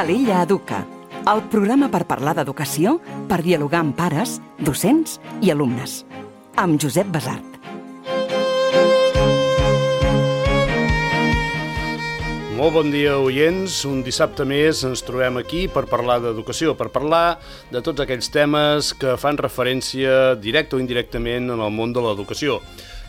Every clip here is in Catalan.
Calella Educa, el programa per parlar d'educació, per dialogar amb pares, docents i alumnes. Amb Josep Basart. Molt bon dia, oients. Un dissabte més ens trobem aquí per parlar d'educació, per parlar de tots aquells temes que fan referència directa o indirectament en el món de l'educació.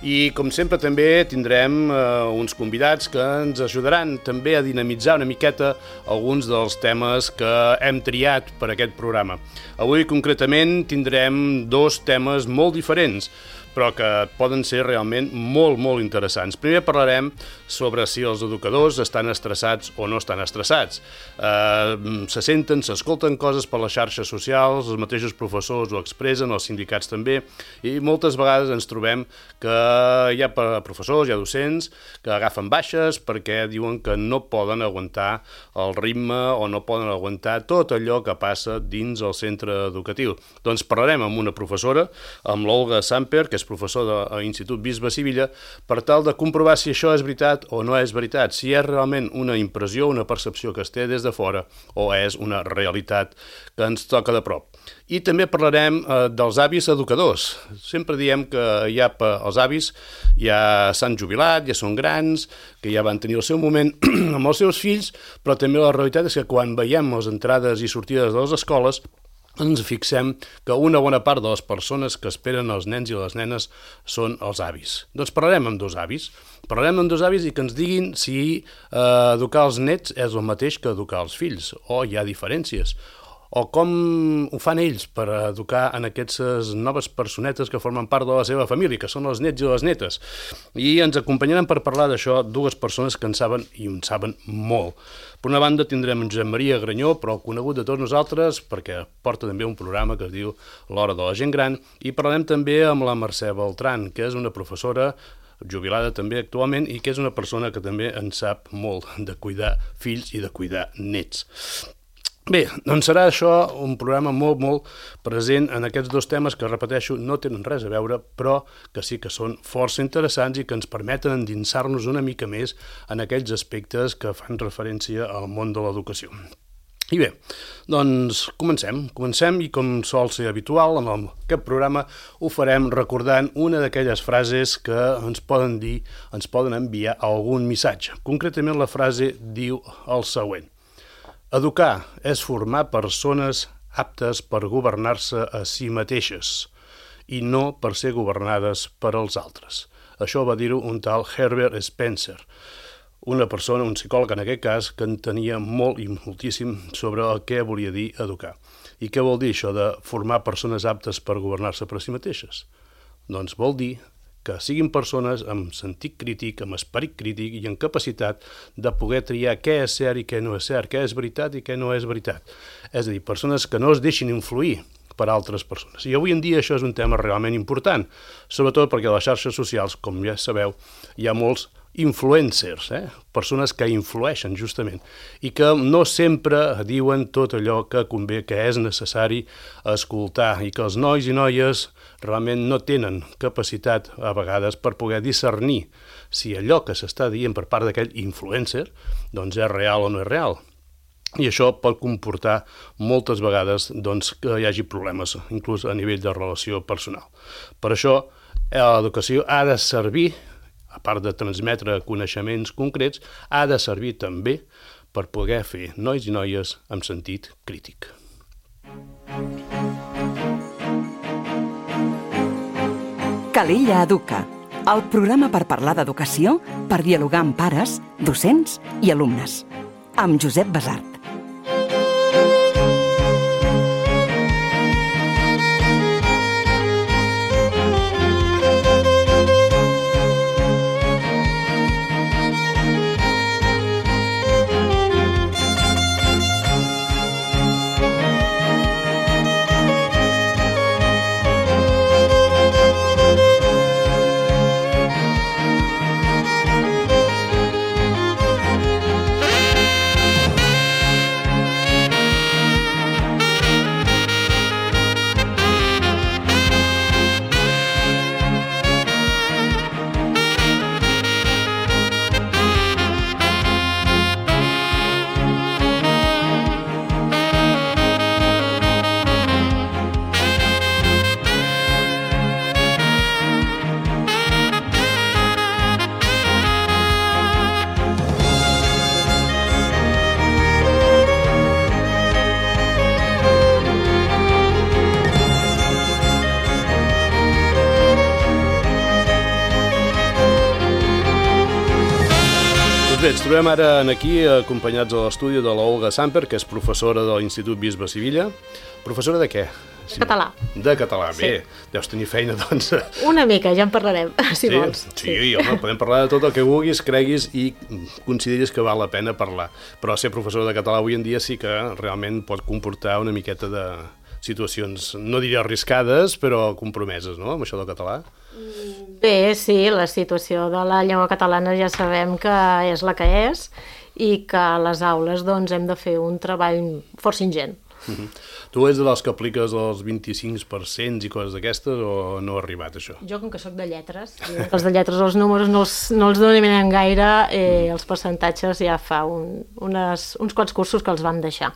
I, com sempre, també tindrem uns convidats que ens ajudaran també a dinamitzar una miqueta alguns dels temes que hem triat per aquest programa. Avui, concretament, tindrem dos temes molt diferents, però que poden ser realment molt interessants. Primer parlarem sobre si els educadors estan estressats o no estan estressats. Se senten, s'escolten coses per les xarxes socials, els mateixos professors ho expressen, els sindicats també, i moltes vegades ens trobem que hi ha professors, hi ha docents que agafen baixes perquè diuen que no poden aguantar el ritme o no poden aguantar tot allò que passa dins el centre educatiu. Doncs parlarem amb una professora, amb l'Olga Samper, que és professor de l'Institut Bisbe Sivilla, per tal de comprovar si això és veritat o no és veritat, si és realment una impressió, una percepció que es té des de fora o és una realitat que ens toca de prop. I també parlarem dels avis educadors. Sempre diem que els avis ja s'han jubilat, ja són grans, que ja van tenir el seu moment amb els seus fills, però també la realitat és que quan veiem les entrades i sortides de les escoles ens fixem que una bona part de les persones que esperen els nens i les nenes són els avis. Doncs parlarem amb dos avis. Parlarem amb dos avis i que ens diguin si educar els nets és el mateix que educar els fills, o hi ha diferències, o com ho fan ells per educar en aquestes noves personetes que formen part de la seva família, que són els nets i les netes. I ens acompanyaran per parlar d'això dues persones que en saben i en saben molt. Per una banda tindrem en Josep Maria Granyó, però conegut de tots nosaltres, perquè porta també un programa que es diu L'Hora de la Gent Gran, i parlarem també amb la Mercè Beltran, que és una professora jubilada també actualment i que és una persona que també en sap molt de cuidar fills i de cuidar nets. Bé, doncs serà això un programa molt present en aquests dos temes que, repeteixo, no tenen res a veure, però que sí que són força interessants i que ens permeten endinsar-nos una mica més en aquells aspectes que fan referència al món de l'educació. I bé, doncs comencem i com sol ser habitual en aquest programa ho farem recordant una d'aquelles frases que ens poden enviar algun missatge. Concretament la frase diu el següent: educar és formar persones aptes per governar-se a si mateixes i no per ser governades per als altres. Això va dir-ho un tal Herbert Spencer, una persona, un psicòleg en aquest cas, que entenia molt i moltíssim sobre el que volia dir educar. I què vol dir això de formar persones aptes per governar-se per a si mateixes? Doncs vol dir que siguin persones amb sentit crític, amb esperit crític i amb capacitat de poder triar què és cert i què no és cert, què és veritat i què no és veritat. És a dir, persones que no es deixin influir per altres persones. I avui en dia això és un tema realment important, sobretot perquè a les xarxes socials, com ja sabeu, hi ha molts influencers, persones que influeixen justament i que no sempre diuen tot allò que convé, que és necessari escoltar, i que els nois i noies realment no tenen capacitat a vegades per poder discernir si allò que s'està dient per part d'aquell influencer doncs és real o no és real. I això pot comportar moltes vegades que hi hagi problemes, inclús a nivell de relació personal. Per això l'educació ha de servir, a part de transmetre coneixements concrets, ha de servir també per poder fer nois i noies amb sentit crític. Calella Educa, el programa per parlar d'educació, per dialogar amb pares, docents i alumnes. Amb Josep Basart. Doncs bé, ens trobem ara aquí acompanyats a l'estudi de l'Olga Samper, que és professora de l'Institut Bisbe Sivilla. Professora de què? De català. De català, Sí. bé. Deus tenir feina, doncs. Una mica, ja en parlarem, si vols. Sí, home, podem parlar de tot el que vulguis, creguis i consideris que val la pena parlar. Però ser professor de català avui en dia sí que realment pot comportar una miqueta de situacions, no diria arriscades, però compromeses, no?, amb això del català. Bé, sí, la situació de la llengua catalana ja sabem que és la que és i que a les aules doncs, hem de fer un treball força ingent. Tu ets dels que apliques els 25% i coses d'aquestes o no ha arribat això? Jo, com que sóc de lletres, els de lletres els números no els dominem gaire, els percentatges ja fa uns quants cursos que els vam deixar.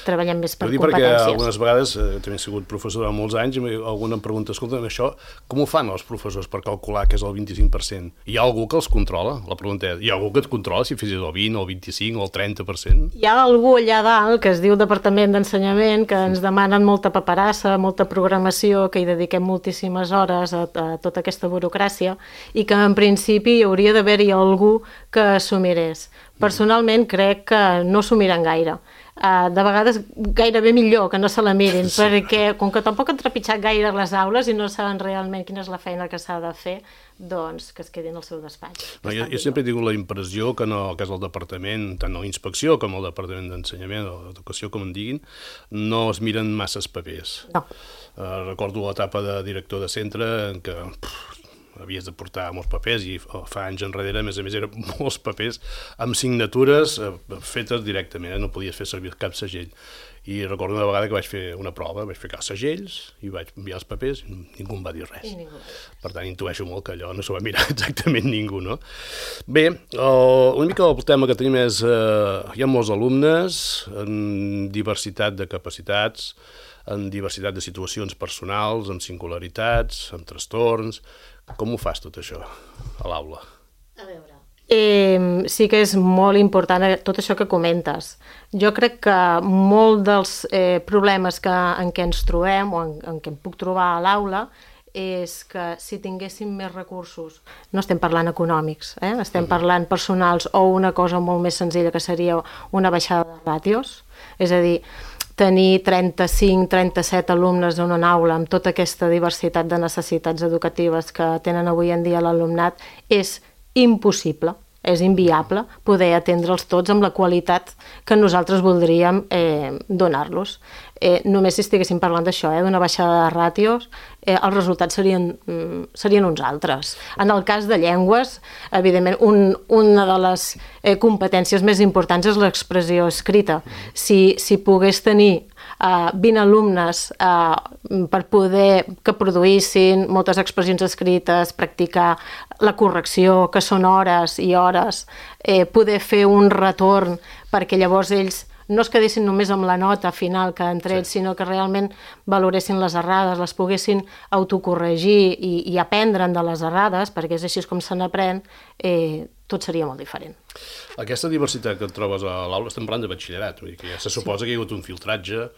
Treballem més per competències. Perquè algunes vegades, també he sigut professora molts anys, i algú em pregunta, escolta, això, com ho fan els professors per calcular que és el 25%? Hi ha algú que els controla? La pregunta és, hi ha algú que et controla si fessis el 20, el 25 o el 30%? Hi ha algú allà dalt que es diu Departament d'Ensenyament que ens demanen molta paperassa, molta programació, que hi dediquem moltíssimes hores a tota aquesta burocràcia i que en principi hi hauria d'haver-hi algú que s'ho mirés. Personalment crec que no s'ho miren gaire. De vegades gairebé millor que no se la mirin, sí. Perquè com que tampoc han trepitjat gaire les aules i no saben realment quina és la feina que s'ha de fer, doncs que es quedin al seu despatx. No, jo sempre he tingut la impressió que és el departament, tant a l'inspecció com al departament d'ensenyament o d'educació, com en diguin, no es miren masses papers. No. Recordo l'etapa de director de centre en què havies de portar molts papers i fa anys enrere, a més eren molts papers amb signatures fetes directament, no podies fer servir cap segell. I recordo una vegada que vaig fer una prova, vaig ficar segells i vaig enviar els papers i ningú em va dir res. Per tant, intueixo molt que allò no s'ho va mirar exactament ningú, no? Bé, una mica el tema que tenim és hi ha molts alumnes en diversitat de capacitats, en diversitat de situacions personals, amb singularitats, amb trastorns. Com ho fas tot això a l'aula? A veure... sí que és molt important tot això que comentes. Jo crec que molt dels problemes en què ens trobem o en què em puc trobar a l'aula és que si tinguéssim més recursos, no estem parlant econòmics, estem parlant personals o una cosa molt més senzilla que seria una baixada de ràtios, és a dir, tenir 35-37 alumnes en una aula amb tota aquesta diversitat de necessitats educatives que tenen avui en dia l'alumnat és impossible, és inviable poder atendre'ls tots amb la qualitat que nosaltres voldríem donar-los. Només si estiguéssim parlant d'això, d'una baixada de ràtios, els resultats serien uns altres. En el cas de llengües, evidentment, una de les competències més importants és l'expressió escrita. Si pogués tenir 20 alumnes per poder que produïssin moltes expressions escrites, practicar la correcció, que són hores i hores, poder fer un retorn perquè llavors ells no es quedessin només amb la nota final que han tret, sinó que realment valoressin les errades, les poguessin autocorregir i aprendre'n de les errades, perquè és així com se n'aprèn, tot seria molt diferent. Aquesta diversitat que et trobes a l'aula, estem parlant de batxillerat, vull dir que ja se suposa que hi ha hagut un filtratge,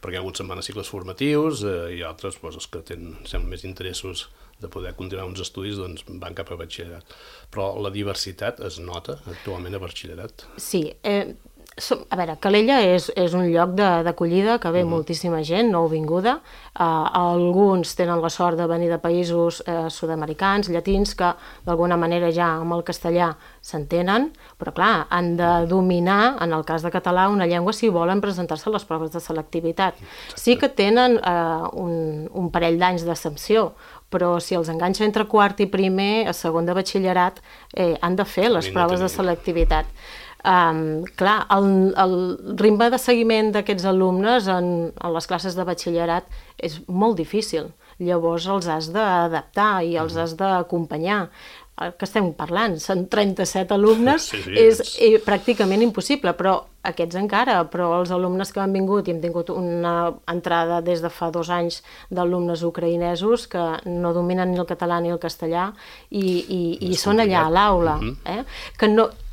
perquè alguns se'n van a cicles formatius i altres, els que semblen més interessos de poder continuar uns estudis, doncs van cap a batxillerat. Però la diversitat es nota actualment a batxillerat? Sí, a veure, Calella és un lloc d'acollida que ve moltíssima gent nouvinguda. Alguns tenen la sort de venir de països sud-americans, llatins, que d'alguna manera ja amb el castellà s'entenen, però clar, han de dominar, en el cas de català, una llengua si volen presentar-se a les proves de selectivitat. Sí que tenen un parell d'anys d'exempció, però si els enganxa entre quart i primer, a segon de batxillerat, han de fer les proves de selectivitat. Clar, el ritme de seguiment d'aquests alumnes en les classes de batxillerat és molt difícil. Llavors els has d'adaptar i els has d'acompanyar. Que estem parlant? Són 37 alumnes, és pràcticament impossible, però aquests encara, però els alumnes que han vingut, i hem tingut una entrada des de fa 2 anys d'alumnes ucraïnesos que no dominen ni el català ni el castellà i són allà a l'aula.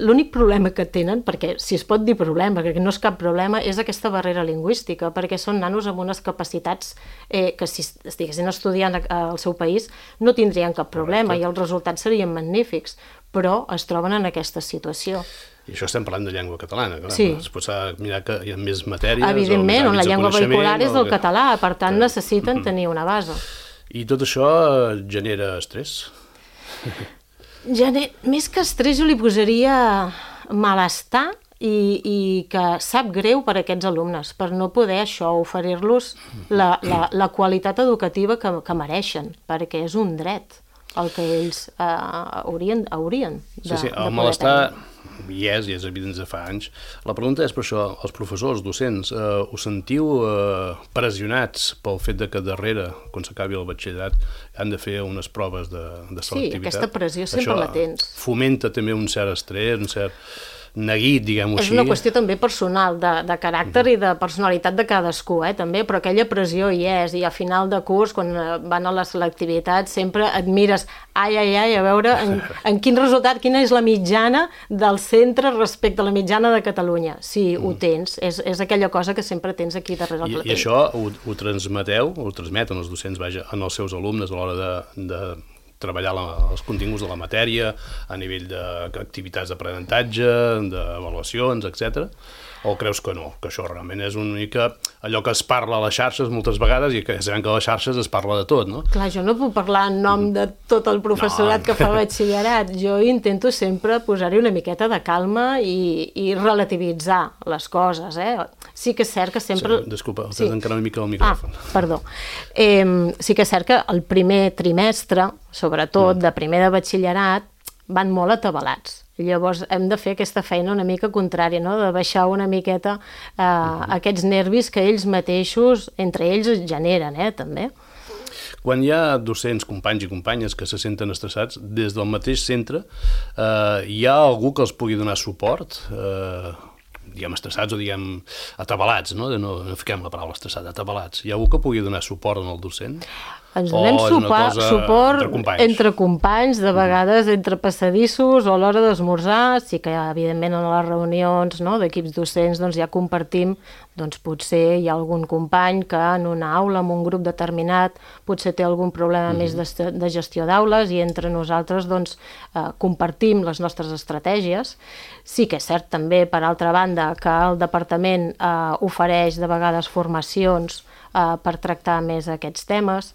L'únic problema que tenen, perquè si es pot dir problema, perquè no és cap problema, és aquesta barrera lingüística, perquè són nanos amb unes capacitats que si estiguessin estudiant al seu país no tindrien cap problema i els resultats serien magnífics. però es troben en aquesta situació. I això estem parlant de llengua catalana, clar. Sí. Després s'ha de mirar que hi ha més matèries... Evidentment, on la llengua vehicular és el català, per tant necessiten tenir una base. I tot això genera estrès? Més que estrès jo li posaria malestar i que sap greu per a aquests alumnes, per no poder això, oferir-los la qualitat educativa que mereixen, perquè és un dret el que ells haurien de Sí, el malestar hi és evident de fa anys. La pregunta és per això, els professors, docents, us sentiu pressionats pel fet de que darrere, quan s'acabi el batxillerat, han de fer unes proves de selectivitat? Sí, aquesta pressió sempre la tens. Això fomenta també un cert estrès, un cert neguit, diguem-ho així. És una qüestió també personal, de caràcter i de personalitat de cadascú, també, però aquella pressió hi és, i a final de curs, quan van a la selectivitat, sempre et mires, a veure en quin resultat, quina és la mitjana del centre respecte a la mitjana de Catalunya. Sí, ho tens, és aquella cosa que sempre tens aquí darrere el platell. I això ho transmeteu, ho transmeten els docents, vaja, en els seus alumnes a l'hora de treballar els continguts de la matèria a nivell d'activitats d'aprenentatge, d'avaluacions, etc. O creus que no, que això realment és una mica allò que es parla a les xarxes moltes vegades i que sabem que a les xarxes es parla de tot, no? Clar, jo no puc parlar en nom de tot el professorat que fa batxillerat. Jo intento sempre posar-hi una miqueta de calma i relativitzar les coses, Sí que és cert que sempre... Sí, disculpa, has d'encarar una mica el micròfon. Perdó. Sí que és cert que el primer trimestre, sobretot de primer de batxillerat, van molt atabalats. Llavors hem de fer aquesta feina una mica contrària, no? De baixar una miqueta aquests nervis que ells mateixos, entre ells, generen, també. Quan hi ha docents, companys i companyes que se senten estressats, des del mateix centre, hi ha algú que els pugui donar suport? Diguem estressats o diguem atabalats, no fiquem la paraula estressat, atabalats. Hi ha algú que pugui donar suport al docent? Ens donem suport entre companys, de vegades entre passadissos o a l'hora d'esmorzar. Sí que, evidentment, en les reunions d'equips docents ja compartim, potser hi ha algun company que en una aula, en un grup determinat, potser té algun problema més de gestió d'aules i entre nosaltres compartim les nostres estratègies. Sí que és cert també, per altra banda, que el departament ofereix de vegades formacions per tractar més aquests temes,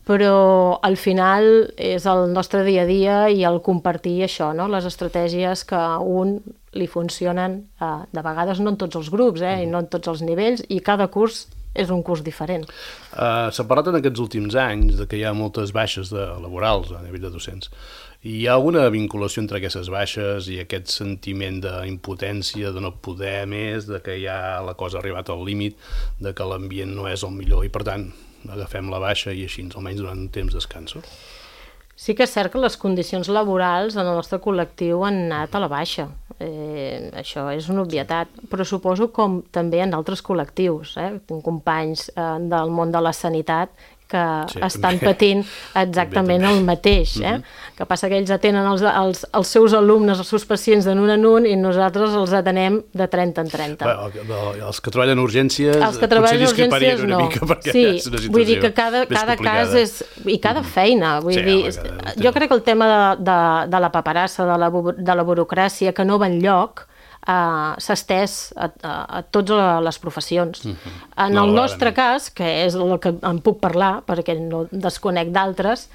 però al final és el nostre dia a dia i el compartir això, les estratègies que a un li funcionen, de vegades no en tots els grups i no en tots els nivells, i cada curs és un curs diferent. S'ha parlat en aquests últims anys de que hi ha moltes baixes laborals a nivell de docents. Hi ha alguna vinculació entre aquestes baixes i aquest sentiment d'impotència, de no poder més, de que ja la cosa ha arribat al límit, de que l'ambient no és el millor i, per tant, agafem la baixa i així, almenys durant un temps descanso? Sí que és cert que les condicions laborals en el nostre col·lectiu han anat a la baixa. Això és una obvietat, però suposo com també en altres col·lectius. Tinc companys del món de la sanitat que estan patint exactament el mateix. Que passa que ells atenen els seus alumnes, els seus pacients de nun en un i nosaltres els atenem de 30 en 30. Els que treballen en urgències potser discreparien una mica perquè és una situació vull dir que cada cas és... i cada feina. Jo crec que el tema de la paperassa, de la burocràcia que no va enlloc, s'ha estès a totes les professions. En el nostre cas, que és el que en puc parlar, perquè no desconec d'altres,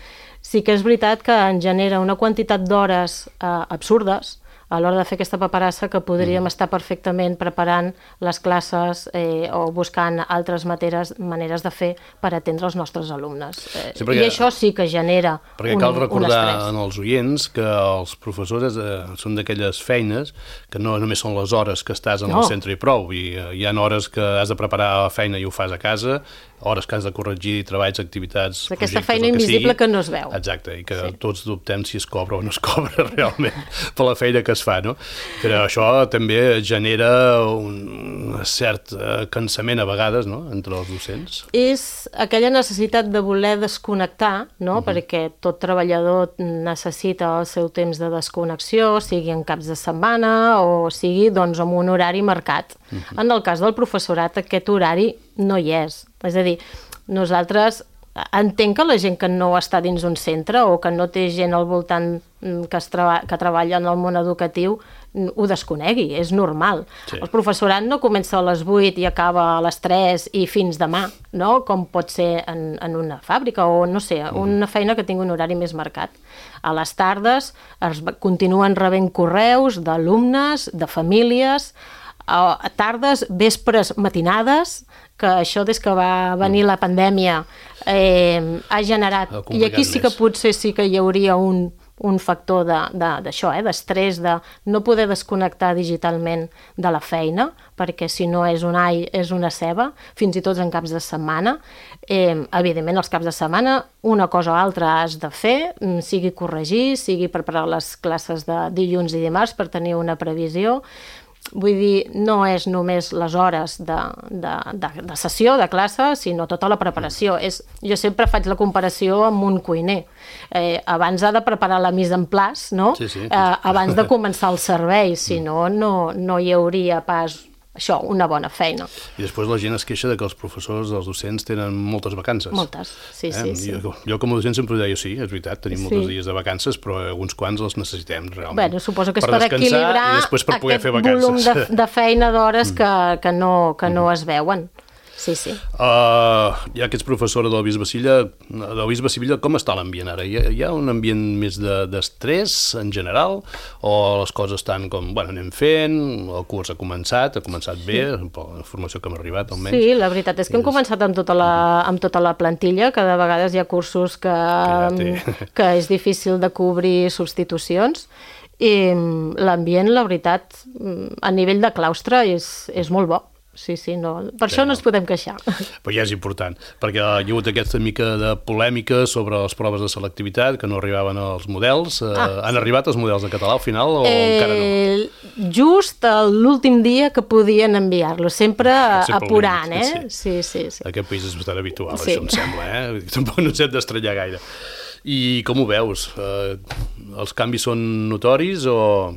sí que és veritat que en genera una quantitat d'hores absurdes a l'hora de fer aquesta paperassa que podríem estar perfectament preparant les classes o buscant altres maneres de fer per atendre els nostres alumnes. I això sí que genera un estrès. Perquè cal recordar als oients que els professors són d'aquelles feines que no només són les hores que estàs en el centre i prou. Hi ha hores que has de preparar la feina i ho fas a casa, hores que has de corregir treballs, activitats, projectes, aquesta feina invisible que no es veu. Exacte, i que tots dubtem si es cobra o no es cobra realment per la feina que es fa, no? Però això també genera un cert cansament a vegades, no?, entre els docents. És aquella necessitat de voler desconnectar, no?, perquè tot treballador necessita el seu temps de desconnexió, sigui en caps de setmana o sigui, doncs, amb un horari marcat. En el cas del professorat, aquest horari no hi és. És a dir, nosaltres entenc que la gent que no està dins un centre o que no té gent al voltant que treballa en el món educatiu ho desconegui, és normal. Sí. El professorat no comença a les 8 i acaba a les 3 i fins demà, no? Com pot ser en una fàbrica o, no sé, una feina que tingui un horari més marcat. A les tardes es continuen rebent correus d'alumnes, de famílies, a tardes, vespres, matinades, que això des que va venir la pandèmia ha generat, i aquí sí que potser sí que hi hauria un factor d'això, d'estrès, de no poder desconnectar digitalment de la feina, perquè si no és un all, és una ceba, fins i tot en caps de setmana. Evidentment, els caps de setmana, una cosa o altra has de fer, sigui corregir, sigui preparar les classes de dilluns i dimarts per tenir una previsió. Vull dir, no és només les hores de sessió, de classe, sinó tota la preparació. Jo sempre faig la comparació amb un cuiner. Abans ha de preparar la mise en place, no? Sí. Abans de començar el servei, si no, no hi hauria pas això, una bona feina. I després la gent es queixa de que els professors, els docents, tenen moltes vacances. Moltes, sí. Jo com a docent sempre deia, sí, és veritat, tenim molts dies de vacances, però alguns quants els necessitem realment. Bé, suposo que és per equilibrar aquest volum de feina d'hores que no es veuen. Sí. Ja que ets professora del Bisbe Sivilla, com està l'ambient ara? Hi ha un ambient més d'estrès en general? O les coses estan com, anem fent, el curs ha començat bé, la formació que hem arribat almenys? Sí, la veritat és que hem començat amb tota la plantilla, que de vegades hi ha cursos que és difícil de cobrir substitucions, i l'ambient, la veritat, a nivell de claustre és molt bo. Sí, per això no ens podem queixar. Però ja és important, perquè hi ha hagut aquesta mica de polèmica sobre les proves de selectivitat, que no arribaven als models. Han arribat els models de català al final o encara no? Just l'últim dia que podien enviar-lo, sempre apurant, Sí. Aquest país és bastant habitual, això em sembla, Tampoc no ens hem d'estranyar gaire. I com ho veus? Els canvis són notoris o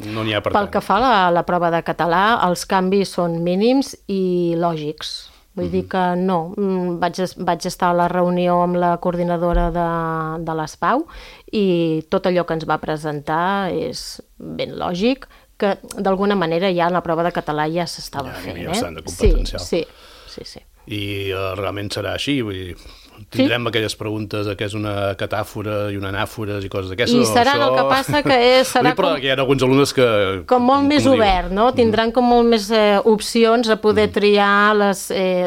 no n'hi ha per tant? Pel que fa a la prova de català, els canvis són mínims i lògics. Vull dir que no. Vaig estar a la reunió amb la coordinadora de l'ESPAU i tot allò que ens va presentar és ben lògic, que d'alguna manera ja en la prova de català ja s'estava fent. Ja estan de competencial. Sí. I realment serà així, vull dir, tindrem aquelles preguntes que és una catàfora i una anàfores i coses d'aquestes. I serà el que passa que serà però hi ha alguns alumnes que... Com molt més obert, no? Tindran com molt més opcions a poder triar les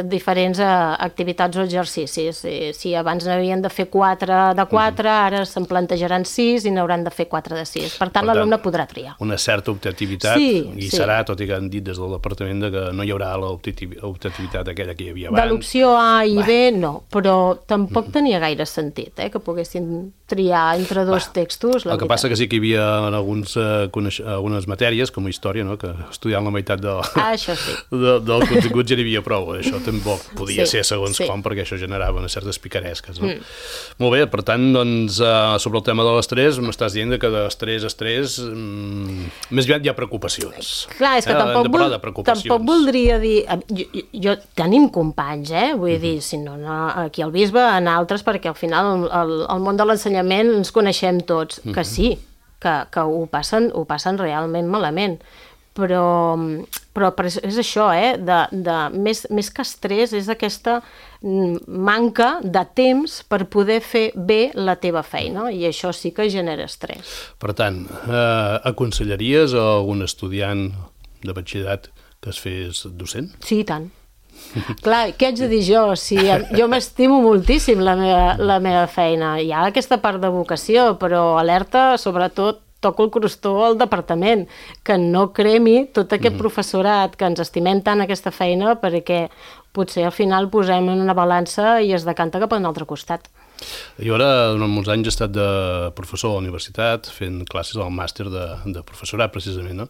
diferents activitats o exercicis. Si abans n'havien de fer 4 de 4, ara se'n plantejaran 6 i n'hauran de fer 4 de 6. Per tant, l'alumne podrà triar. Una certa optativitat, i serà, tot i que han dit des del departament que no hi haurà l'optativitat aquella que hi havia abans. De l'opció A i B, no, però tampoc tenia gaire sentit, que poguessin triar entre dos textos. El que passa que sí que hi havia algunes matèries, com història, que estudiant la meitat del contingut ja n'hi havia prou. Això tampoc podia ser segons com, perquè això generava unes certes picaresques. Molt bé, per tant, sobre el tema de l'estrès, m'estàs dient que d'estrès, més aviat hi ha preocupacions. Clar, és que tampoc voldria dir... Tenim companys, vull dir, si no aquí al Bisbe, en altres, perquè al final el món de l'ensenyament ens coneixem tots, que sí, que ho passen realment malament, però és això, més que estrès, és aquesta manca de temps per poder fer bé la teva feina, i això sí que genera estrès. Per tant, aconsellaries a algun estudiant de batxillerat que es fes docent? Sí, i tant. Clar, què haig de dir jo? Jo m'estimo moltíssim la meva feina. Hi ha aquesta part de vocació, però alerta, sobretot, toco el crostó al departament, que no cremi tot aquest professorat, que ens estimem tant aquesta feina, perquè potser al final posem en una balança i es decanta cap a un altre costat. Jo ara, durant molts anys, he estat de professor a la universitat, fent classes al màster de professorat, precisament, no?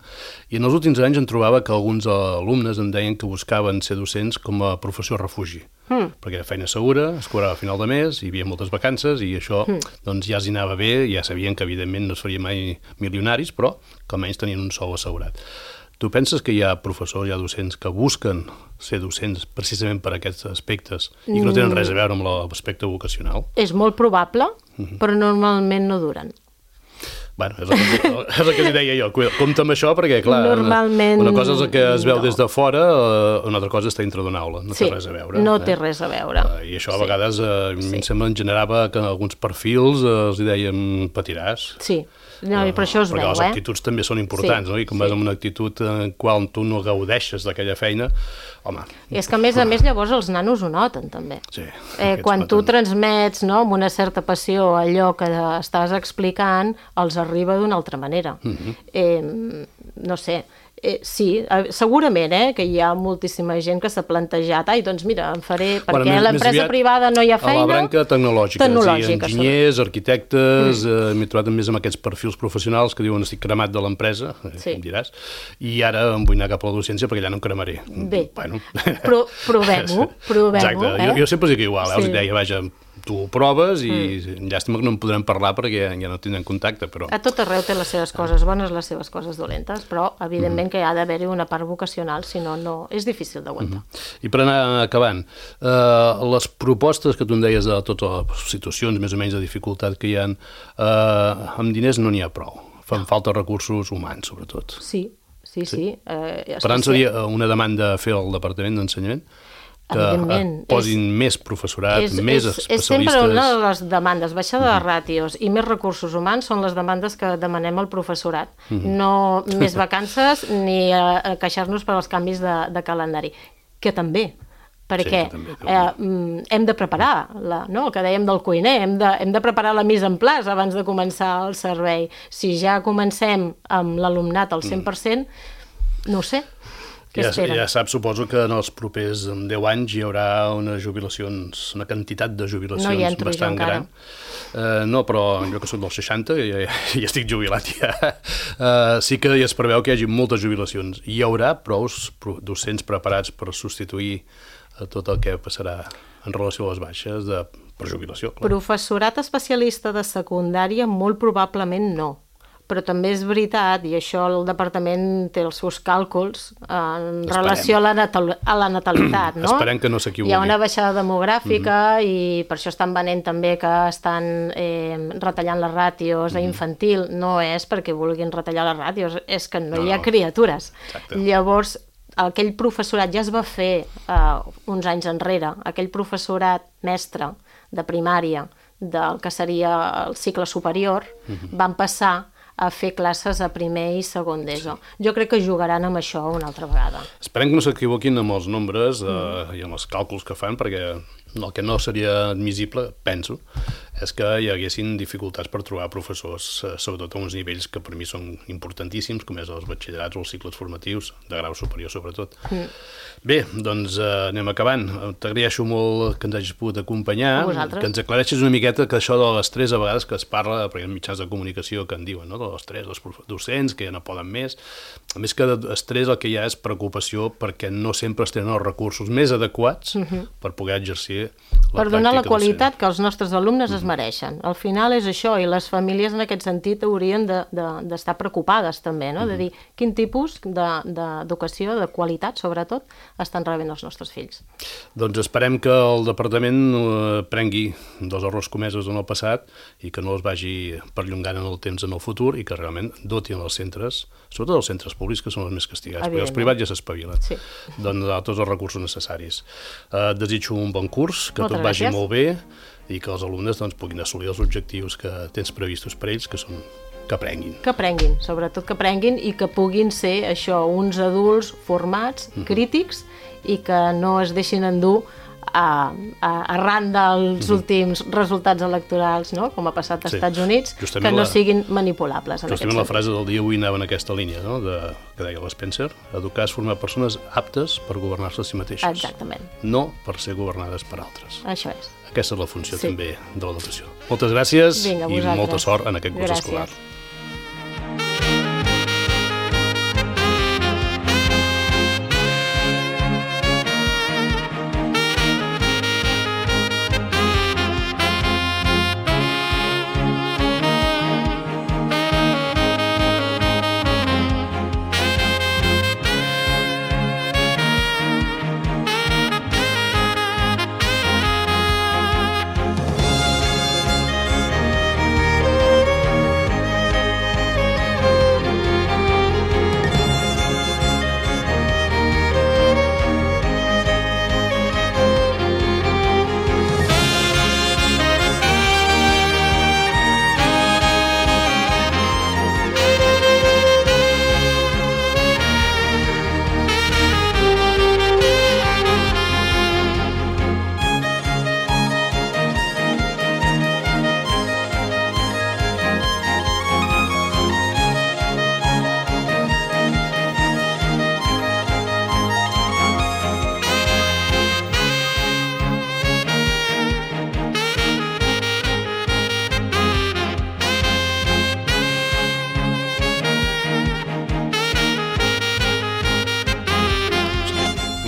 I en els últims anys em trobava que alguns alumnes em deien que buscaven ser docents com a professor refugi, perquè era feina segura, es cobrava a final de mes, hi havia moltes vacances i això doncs ja els anava bé, ja sabien que evidentment no es faria mai milionaris, però que almenys tenien un sou assegurat. Tu penses que hi ha professors, hi ha docents que busquen ser docents precisament per aquests aspectes i que no tenen res a veure amb l'aspecte vocacional? És molt probable, però normalment no duren. Bueno, és el que li deia jo. Compte amb això perquè, clar, normalment, una cosa és el que es veu des de fora, una altra cosa és estar dintre d'una aula. No té res a veure. No té res a veure. I això a vegades a mi em sembla en generava que en alguns perfils els dèiem patiràs. Sí, però això es veu, Perquè les actituds també són importants, no? I quan vas amb una actitud en qual tu no gaudeixes d'aquella feina, home... I és que a més llavors els nanos ho noten també. Sí. Quan tu transmets amb una certa passió allò que estàs explicant, els arriba d'una altra manera. No sé, sí, segurament que hi ha moltíssima gent que s'ha plantejat, doncs mira, em faré, perquè a l'empresa privada no hi ha feina... A la branca tecnològica, enginyers, arquitectes, m'he trobat més amb aquests perfils professionals que diuen estic cremat de l'empresa, em diràs, i ara em vull anar cap a la docència perquè ja no em cremaré. Bé, provem-ho. Exacte, jo sempre dic igual, els deia, vaja, tu ho proves i llàstima que no en podrem parlar perquè ja no tindrem contacte, però... A tot arreu té les seves coses bones, les seves coses dolentes, però evidentment que hi ha d'haver-hi una part vocacional, si no, és difícil d'aguantar. I per anar acabant, les propostes que tu em deies de totes les situacions més o menys de dificultat que hi ha, amb diners no n'hi ha prou. Fan falta recursos humans, sobretot. Sí. Per tant, seria una demanda a fer al Departament d'Ensenyament que posin més professorat, més especialistes... És sempre una de les demandes, baixada de ràtios i més recursos humans són les demandes que demanem al professorat. No més vacances ni queixar-nos per als canvis de calendari, que també, perquè hem de preparar, el que dèiem del cuiner, hem de preparar la mise en place abans de començar el servei. Si ja comencem amb l'alumnat al 100%, no ho sé. Ja saps, suposo que en els propers 10 anys hi haurà una quantitat de jubilacions bastant gran. No, però jo que soc dels 60, ja estic jubilat ja, sí que es preveu que hi hagi moltes jubilacions. Hi haurà prou docents preparats per substituir tot el que passarà en relació a les baixes per jubilació. Professorat especialista de secundària molt probablement no. Però també és veritat, i això el departament té els seus càlculs en relació a la natalitat, no? Esperem que no s'equivoqui. Hi ha una baixada demogràfica i per això estan venent també que estan retallant les ràtios a infantil. No és perquè vulguin retallar les ràtios, és que no hi ha criatures. Llavors, aquell professorat ja es va fer uns anys enrere, aquell professorat mestre de primària del que seria el cicle superior, van passar a fer classes a primer i segon d'ESO. Jo crec que jugaran amb això una altra vegada. Esperem que no s'equivoquin amb els nombres i amb els càlculs que fan, perquè el que no seria admissible, penso, és que hi haguessin dificultats per trobar professors, sobretot a uns nivells que per mi són importantíssims, com és els batxillerats o els cicles formatius, de grau superior sobretot. Bé, doncs anem acabant. T'agraeixo molt que ens hagis pogut acompanyar, que ens aclareixis una miqueta que això de l'estrès a vegades que es parla, perquè hi ha mitjans de comunicació que en diuen, de l'estrès dels docents, que ja no poden més. A més que d'estrès el que hi ha és preocupació perquè no sempre es tenen els recursos més adequats per poder exercir la pràctica. Per donar la qualitat que els nostres alumnes es mereixen. Al final és això, i les famílies en aquest sentit haurien d'estar preocupades també, no? De dir quin tipus d'educació, de qualitat sobretot, estan rebent els nostres fills. Doncs esperem que el departament prengui dels errors comesos en el passat i que no els vagi perllongant en el temps en el futur i que realment dotin els centres, sobretot els centres públics, que són els més castigats, perquè els privats ja s'espavilen, doncs tots els recursos necessaris. Desitjo un bon curs, que tot vagi molt bé i que els alumnes puguin assolir els objectius que tens previstos per ells, que són que aprenguin. Que aprenguin, sobretot que aprenguin i que puguin ser això, uns adults formats, crítics, i que no es deixin endur arran dels últims resultats electorals, no? Com ha passat als Estats Units, que no siguin manipulables. Justament la frase del dia avui anava en aquesta línia, no? Que deia l'Spencer, educar és formar persones aptes per governar-se a si mateixes. Exactament. No per ser governades per altres. Això és. Aquesta és la funció també de l'educació. Moltes gràcies i molta sort en aquest curs escolar.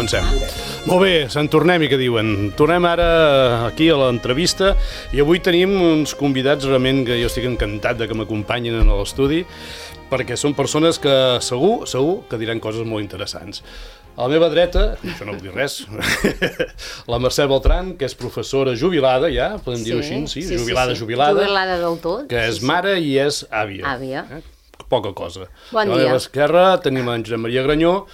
comencem. Molt bé, se'n tornem, i que diuen. Tornem ara aquí a l'entrevista i avui tenim uns convidats realment que jo estic encantat de que m'acompanyin en l'estudi, perquè són persones que segur que diran coses molt interessants. A la meva dreta, això no vull dir res, la Mercè Beltran, que és professora jubilada ja, podem dir-ho així, sí? Jubilada. Jubilada del tot. Que és mare i és àvia. Àvia. Poca cosa. Bon dia. A la meva esquerra tenim en Josep Maria Granyó,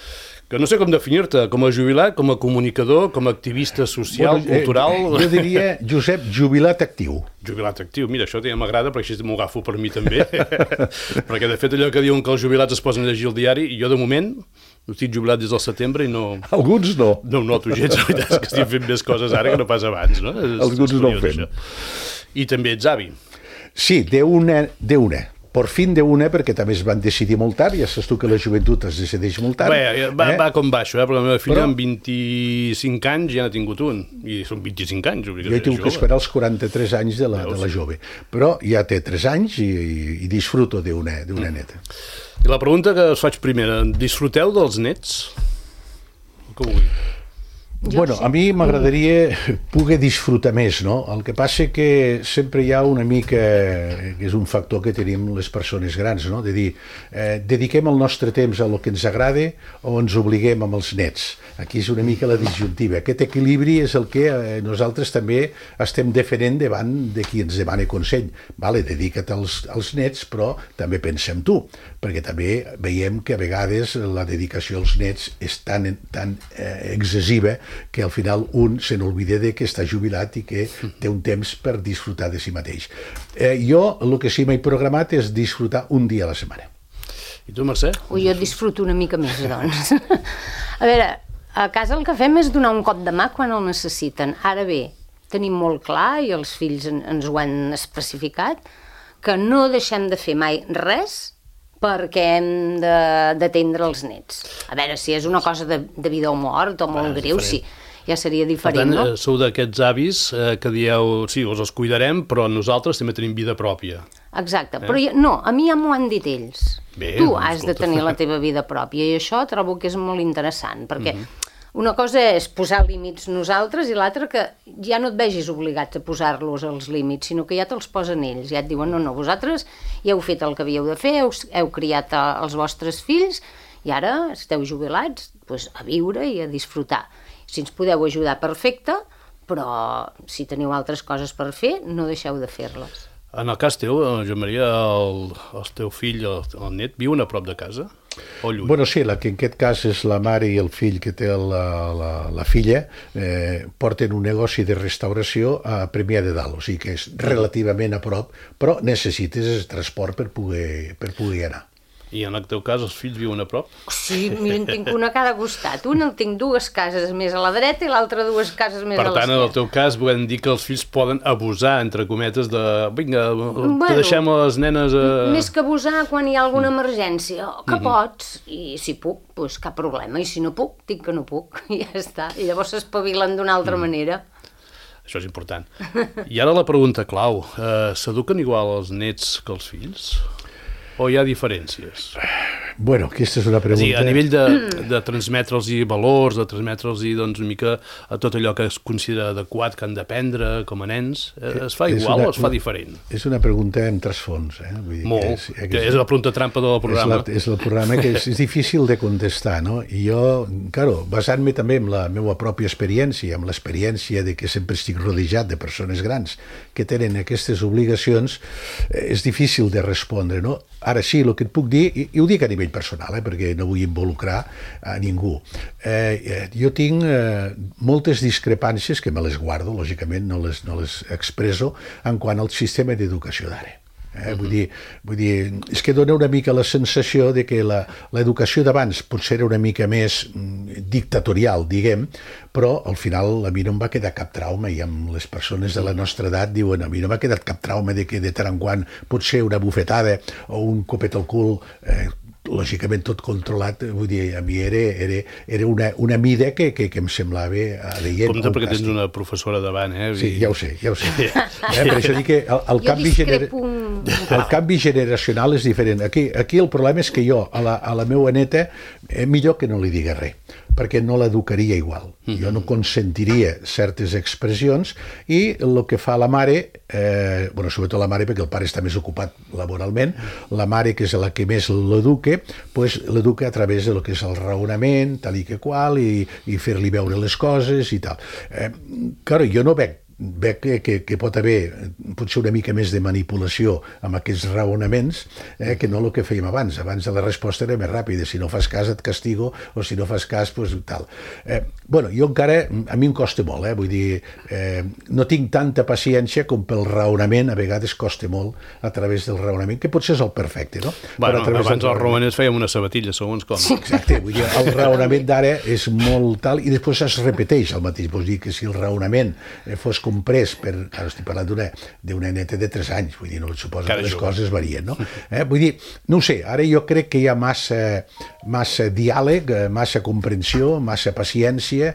que no sé com definir-te, com a jubilat, com a comunicador, com a activista social, cultural... Jo diria, Josep, jubilat actiu. Jubilat actiu, mira, això ja m'agrada perquè així m'ho agafo per mi també, perquè de fet allò que diuen que els jubilats es posen a llegir el diari, i jo de moment estic jubilat des del setembre i no... Alguns no. No ho noto gens, la veritat és que estic fent més coses ara que no pas abans, no? Alguns no ho fem. I també ets avi. Sí, d'una. Per fin d'una, perquè també es van decidir molt tard, ja saps tu que la joventut es decideix molt tard. Bé, va com baixo, perquè la meva filla amb 25 anys ja n'ha tingut un, i són 25 anys. Jo he tingut que esperar els 43 anys de la jove, però ja té 3 anys i disfruto d'una neta. I la pregunta que us faig primera, disfruteu dels nets? Com ho vull? Bueno, a mi m'agradaria poder disfrutar més, no? El que passa que sempre hi ha una mica, que és un factor que tenim les persones grans, no? De dir, dediquem el nostre temps a lo que ens agrada o ens obliguem amb els nets. Aquí és una mica la disjuntiva. Aquest equilibri és el que nosaltres també estem defendent davant de qui ens demana consell. Vale, dedica't als nets, però també pensa en tu, perquè també veiem que a vegades la dedicació als nets és tan excessiva que al final un se n'olvida de que està jubilat i que té un temps per disfrutar de si mateix. Jo el que sí m'he programat és disfrutar un dia a la setmana. I tu, Mercè? Jo disfruto una mica més, doncs. A veure, a casa el que fem és donar un cop de mà quan el necessiten. Ara bé, tenim molt clar, i els fills ens ho han especificat, que no deixem de fer mai res perquè hem d'atendre els nets. A veure, si és una cosa de vida o mort o molt greu, sí, ja seria diferent, no? Per tant, sou d'aquests avis que dieu, sí, us els cuidarem, però nosaltres també tenim vida pròpia. Exacte, però no, a mi ja m'ho han dit ells. Bé, tu has de tenir la teva vida pròpia, i això trobo que és molt interessant, perquè una cosa és posar límits nosaltres i l'altra que ja no et vegis obligats a posar-los els límits, sinó que ja te'ls posen ells, ja et diuen no, vosaltres ja heu fet el que havíeu de fer, heu criat els vostres fills i ara esteu jubilats, doncs a viure i a disfrutar. Si ens podeu ajudar, perfecte, però si teniu altres coses per fer, no deixeu de fer-les. En el cas teu, Joan Maria, el teu fill, el net, viuen a prop de casa? O lluny? Bueno, sí, que en aquest cas és la mare i el fill que té la filla, porten un negoci de restauració a Premià de Dalt, o sigui que és relativament a prop, però necessites transport per poder anar. I en el teu cas els fills viuen a prop? Sí, mira, en tinc una a cada costat. Una el tinc 2 cases més a la dreta i l'altra 2 cases més a l'esquerra. Per tant, en el teu cas, volem dir que els fills poden abusar, entre cometes, de... Vinga, te deixem a les nenes... Més que abusar quan hi ha alguna emergència, que pots, i si puc, doncs cap problema, i si no puc, dic que no puc, i ja està. I llavors s'espavilen d'una altra manera. Això és important. I ara la pregunta clau, s'eduquen igual els nets que els fills? O hi ha diferències? Bueno, aquesta és una pregunta... És a dir, a nivell de transmetre'ls valors, de transmetre'ls doncs, una mica a tot allò que es considera adequat que han d'aprendre com a nens, es fa igual o es fa diferent? És una pregunta amb trasfons. Vull dir molt, que és la pregunta trampa del programa. És el programa que és difícil de contestar, no? I jo, claro, basant-me també en la meva pròpia experiència, amb l'experiència de que sempre estic rodejat de persones grans que tenen aquestes obligacions, és difícil de respondre, no? Ara sí, el que et puc dir, i ho dic a nivell personal, perquè no vull involucrar a ningú. Jo tinc moltes discrepàncies, que me les guardo, lògicament no les expresso, en quant al sistema d'educació d'ara. Vull dir, és que dona una mica la sensació de que l'educació d'abans potser era una mica més dictatorial, diguem, però al final a mi no em va quedar cap trauma, i amb les persones de la nostra edat diuen, a mi no m'ha quedat cap trauma de que de tant en quant potser una bufetada o un copet al cul lògicament tot controlat, vull dir, a mi era una mida que em semblava adeient. Compte perquè tens una professora davant, eh? Sí, ja ho sé. Per això dic que el canvi generacional és diferent. Aquí el problema és que jo, a la meva neta, millor que no li digui res, perquè no l'educaria igual. Jo no consentiria certes expressions i el que fa la mare, sobretot la mare perquè el pare està més ocupat laboralment, la mare que és la que més l'educa, l'educa a través de lo que és el raonament, tal i que qual, i fer-li veure les coses i tal. Claro, jo no veig que pot haver potser una mica més de manipulació amb aquests raonaments que no el que fèiem abans. Abans la resposta era més ràpida, si no fas cas et castigo, o si no fas cas, doncs tal. Jo encara, a mi em costa molt, vull dir, no tinc tanta paciència com pel raonament, a vegades costa molt a través del raonament, que potser és el perfecte, no? Bueno, abans els romanents fèiem una sabatilla, segons com. Exacte, vull dir, el raonament d'ara és molt tal, i després es repeteix el mateix. Vull dir que si el raonament fos comprès per... Ara estic parlant d'una neta de 3 anys, vull dir, no suposo que les coses varien, no? Vull dir, no ho sé, ara jo crec que hi ha massa diàleg, massa comprensió, massa paciència,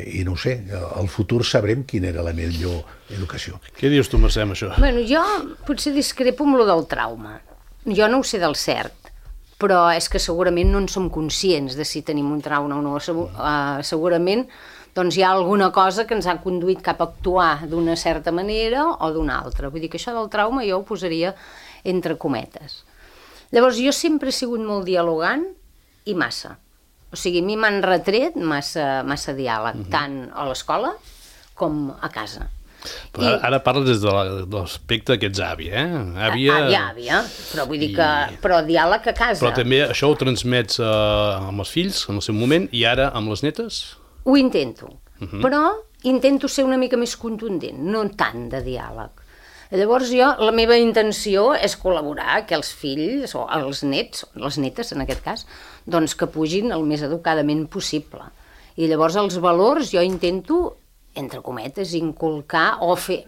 i no ho sé, al futur sabrem quina era la millor educació. Què dius tu, Mercè, amb això? Bueno, jo potser discrepo amb lo del trauma. Jo no ho sé del cert, però és que segurament no en som conscients de si tenim un trauma o no. Segurament doncs hi ha alguna cosa que ens ha conduït cap a actuar d'una certa manera o d'una altra. Vull dir que això del trauma jo ho posaria entre cometes. Llavors, jo sempre he sigut molt dialogant i massa. O sigui, a mi m'han retret massa diàleg, tant a l'escola com a casa. Però ara parles des de l'aspecte que ets àvia, Àvia, però vull dir que... Però diàleg a casa. Però també això ho transmets amb els fills en el seu moment i ara amb les netes? Ho intento, però intento ser una mica més contundent, no tant de diàleg. Llavors la meva intenció és col·laborar, que els fills, o els nets, les netes en aquest cas, doncs que pugin el més educadament possible. I llavors els valors jo intento, entre cometes, inculcar o fer...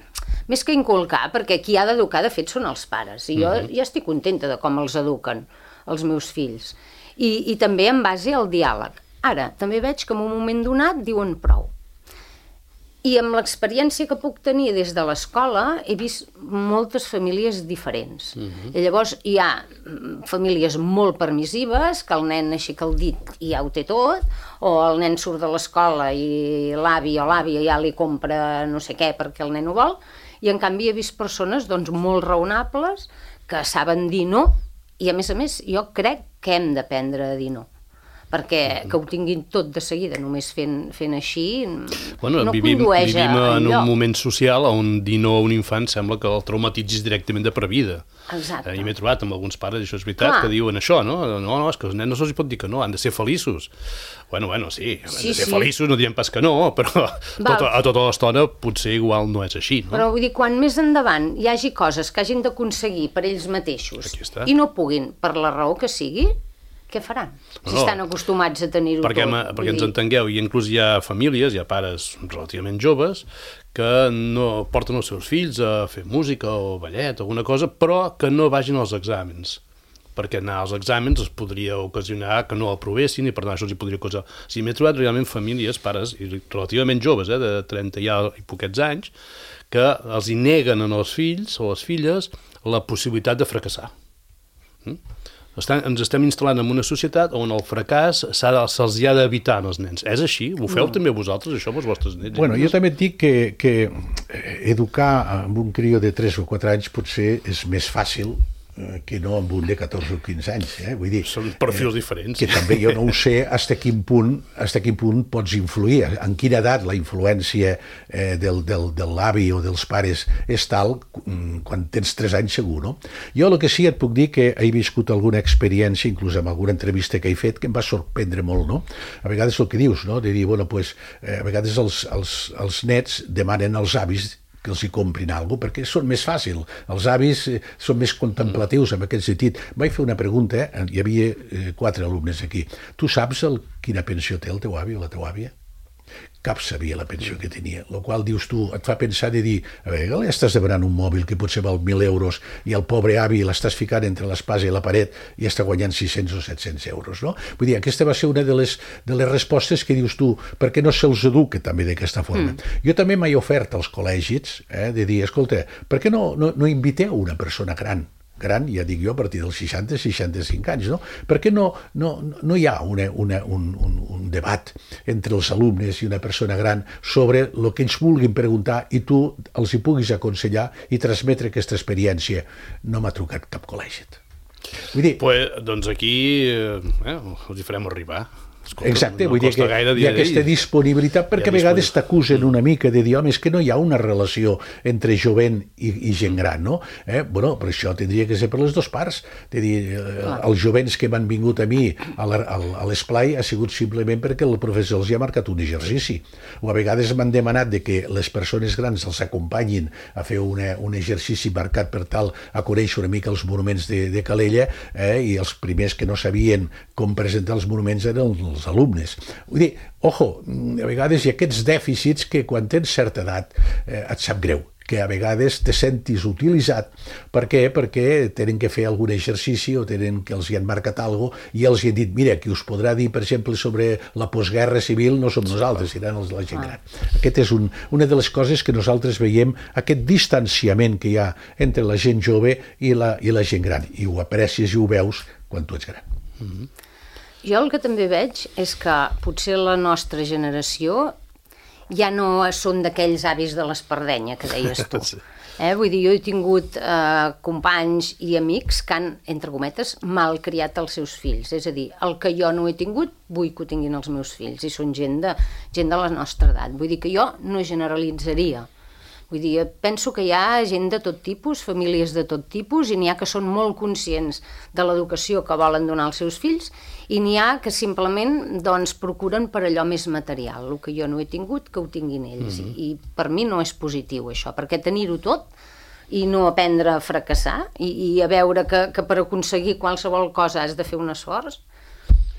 Més que inculcar, perquè qui ha d'educar de fet són els pares, i jo ja estic contenta de com els eduquen els meus fills. I també en base al diàleg. Ara, també veig que en un moment donat diuen prou. I amb l'experiència que puc tenir des de l'escola he vist moltes famílies diferents. I llavors hi ha famílies molt permissives, que el nen aixeca el dit i ja ho té tot, o el nen surt de l'escola i l'avi o l'àvia ja li compra no sé què perquè el nen ho vol, i en canvi he vist persones doncs, molt raonables que saben dir no, i a més jo crec que hem d'aprendre a dir no. Perquè que ho tinguin tot de seguida, només fent així, no condueix a enlloc. Vivim en un moment social on dir no a un infant sembla que el traumatitzis directament de per vida. Exacte. I m'he trobat amb alguns pares, això és veritat, que diuen això, no? No, és que els nens no se'ls pot dir que no, han de ser feliços. Bueno, sí, han de ser feliços, no diem pas que no, però a tota l'estona potser igual no és així, no? Però vull dir, quan més endavant hi hagi coses que hagin d'aconseguir per ells mateixos i no puguin, per la raó que sigui, què faran? Si estan acostumats a tenir-ho tot. Perquè ens entengueu, i inclús hi ha famílies, hi ha pares relativament joves, que no porten els seus fills a fer música o ballet o alguna cosa, però que no vagin als exàmens. Perquè anar als exàmens es podria ocasionar que no aprovessin i per tant això els hi podria causar. O sigui, m'he trobat realment famílies, pares relativament joves, de 30 i poquets anys, que els hi neguen als fills o a les filles la possibilitat de fracassar. Ens estem instal·lant en una societat on el fracàs se'ls ha d'evitar als nens. És així? Ho feu també vosaltres, això, amb els vostres nens? Bueno, jo també et dic que educar amb un crió de 3 o 4 anys potser és més fàcil que no amb un de 14 o 15 anys. Vull dir, són perfils diferents. Que també jo no ho sé fins a quin punt pots influir, en quina edat la influència de l'avi o dels pares és tal, quan tens 3 anys segur, no? Jo el que sí et puc dir que he viscut alguna experiència, inclús amb alguna entrevista que he fet, que em va sorprendre molt, no? A vegades el que dius, no? De dir, bueno, pues, a vegades els nets demanen als avis que els hi comprin alguna cosa, perquè són més fàcil. Els avis són més contemplatius en aquest sentit. Vaig fer una pregunta, hi havia 4 alumnes aquí. Tu saps quina pensió té el teu avi o la teva àvia? Cap sabia la pensió que tenia, el qual dius tu, et fa pensar de dir, a veure, li estàs demanant un mòbil que potser val 1.000 euros i el pobre avi l'estàs ficant entre l'espasa i la paret i està guanyant 600 o 700 euros, no? Vull dir, aquesta va ser una de les respostes que dius tu, per què no se'ls educa també d'aquesta forma? Jo també m'he ofert als col·legis de dir, escolta, per què no inviteu una persona gran gran, ja dic jo, a partir dels 60-65 anys, no? Perquè no hi ha un debat entre els alumnes i una persona gran sobre el que ens vulguin preguntar i tu els hi puguis aconsellar i transmetre aquesta experiència. No m'ha trucat cap col·legi. Vull dir... Doncs aquí els hi farem arribar. Escolta, exacte, vull dir que hi ha aquesta disponibilitat perquè a vegades t'acusen una mica de dir, home, és que no hi ha una relació entre jovent i gent gran, no? Bueno, però això tindria que ser per les dues parts. De dir, els jovents que m'han vingut a mi a l'esplai ha sigut simplement perquè el professor els ha marcat un exercici. O a vegades m'han demanat de que les persones grans els acompanyin a fer un exercici marcat per tal a conèixer una mica els monuments de Calella, i els primers que no sabien com presentar els monuments eren els alumnes. Vull dir, ojo, a vegades hi ha aquests dèficits que quan tens certa edat et sap greu, que a vegades te sentis utilitzat. Per què? Perquè tenen que fer algun exercici o tenen que els hi han marcat alguna cosa i els hi han dit, mira, qui us podrà dir, per exemple, sobre la postguerra civil no som nosaltres, seran els de la gent gran. Aquest és una de les coses que nosaltres veiem, aquest distanciament que hi ha entre la gent jove i la gent gran, i ho aprecies i ho veus quan tu ets gran. Jo el que també veig és que potser la nostra generació ja no són d'aquells avis de l'espardenya que deies tu. Vull dir, jo he tingut companys i amics que han, entre cometes, malcriat els seus fills. És a dir, el que jo no he tingut, vull que ho tinguin els meus fills. I són gent de la nostra edat. Vull dir que jo no generalitzaria. Vull dir, penso que hi ha gent de tot tipus, famílies de tot tipus, i n'hi ha que són molt conscients de l'educació que volen donar als seus fills, i n'hi ha que simplement procuren per allò més material, el que jo no he tingut, que ho tinguin ells. I per mi no és positiu això, perquè tenir-ho tot i no aprendre a fracassar, i a veure que per aconseguir qualsevol cosa has de fer un esforç.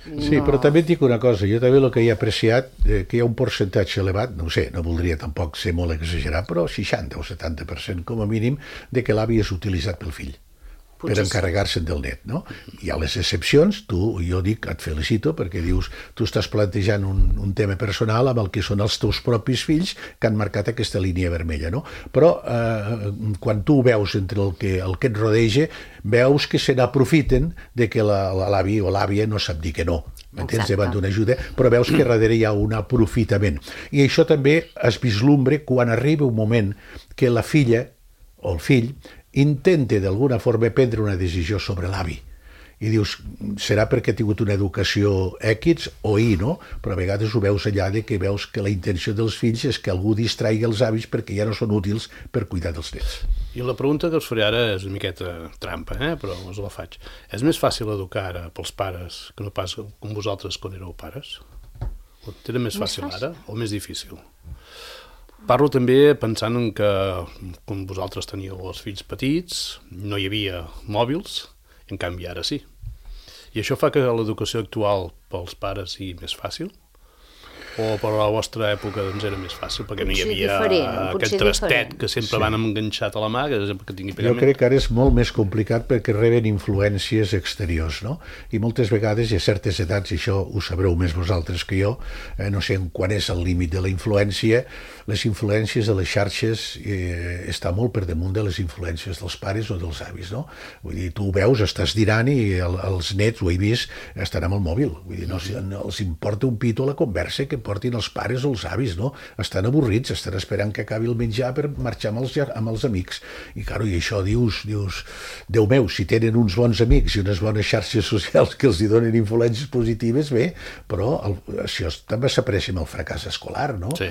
Sí, però també et dic una cosa, jo també el que he apreciat, que hi ha un percentatge elevat, no sé, no voldria tampoc ser molt exagerat, però 60 o 70% com a mínim, de que l'avi és utilitzat pel fill per encarregar-se'n del net, no? Hi ha les excepcions, jo dic, et felicito, perquè dius, tu estàs plantejant un tema personal amb el que són els teus propis fills que han marcat aquesta línia vermella, no? Però quan tu veus entre el que et rodeja, veus que se n'aprofiten de que l'avi o l'àvia no sap dir que no, m'entens, davant d'una ajuda, però veus que darrere hi ha un aprofitament. I això també es vislumbra quan arriba un moment que la filla o el fill intenta d'alguna forma prendre una decisió sobre l'avi. I dius, serà perquè ha tingut una educació X o Y, no? Però a vegades ho veus allà de que veus que la intenció dels fills és que algú distraigui els avis perquè ja no són útils per cuidar dels nets. I la pregunta que us faré ara és una miqueta trampa, però us la faig. És més fàcil educar ara pels pares que no pas com vosaltres quan éreu pares? Ho tenen més fàcil ara o més difícil? Parlo també pensant en que quan vosaltres teníeu els fills petits no hi havia mòbils, en canvi ara sí. I això fa que l'educació actual pels pares sigui més fàcil? O per la vostra època era més fàcil, perquè no hi havia aquest trastet que sempre van enganxat a la mà, que tingui pagament? Jo crec que ara és molt més complicat perquè reben influències exteriors, no? I moltes vegades hi ha certes edats, i això ho sabreu més vosaltres que jo, no sé quan és el límit de la influència, les influències de les xarxes està molt per damunt de les influències dels pares o dels avis, no? Vull dir, tu ho veus, estàs dinant i els nets, ho he vist, estan amb el mòbil. Vull dir, no els importa un pito la conversa que portin els pares o els avis, no? Estan avorrits, estan esperant que acabi el menjar per marxar amb els amics. I, claro, i això dius, Déu meu, si tenen uns bons amics i unes bones xarxes socials que els hi donen influències positives, bé, però això també s'aprecia amb el fracàs escolar, no? Sí,